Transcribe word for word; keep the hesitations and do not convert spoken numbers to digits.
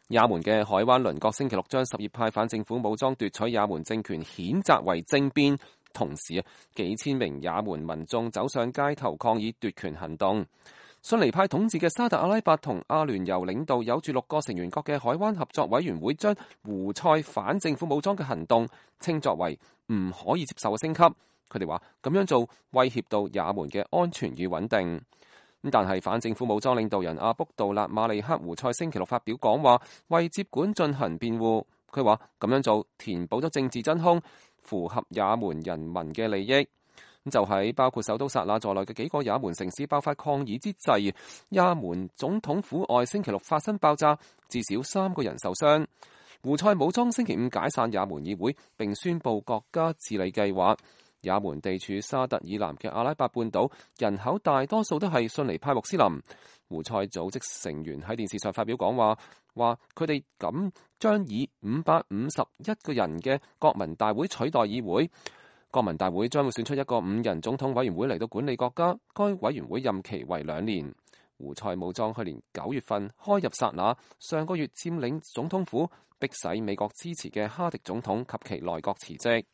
也門嘅海灣鄰國星期六將什葉派反政府武裝奪取也門政權譴責為政變，同時啊，幾千名也門民眾走上街頭抗議奪權行動。遜尼派統治嘅沙特阿拉伯同阿聯酋領導有住六個成員國嘅海灣合作委員會將胡塞反政府武裝嘅行動稱作為唔可以接受嘅升級。佢哋話咁樣做威脅到也門嘅安全與穩定。但係反政府武裝領導人阿卜杜勒馬利克胡塞星期六發表講話，為接管進行辯護。佢話咁樣做填補咗政治真空，符合也門人民嘅利益。就喺包括首都薩那在內嘅幾個也門城市爆發抗議之際，也門總統府外星期六發生爆炸，至少三個人受傷。胡塞武裝星期五解散也門議會，並宣布國家治理計劃。也門地處沙特以南嘅阿拉伯半島，人口大多數都係遜尼派穆斯林。胡塞組織成員喺電視上發表講話，話佢哋咁將以五百五十一個人嘅國民大會取代議會。國民大會將會選出一個五人總統委員會嚟到管理國家，該委員會任期為兩年。胡塞武裝去年九月份開入薩那，上個月佔領總統府，迫使美國支持嘅哈迪總統及其內閣辭職。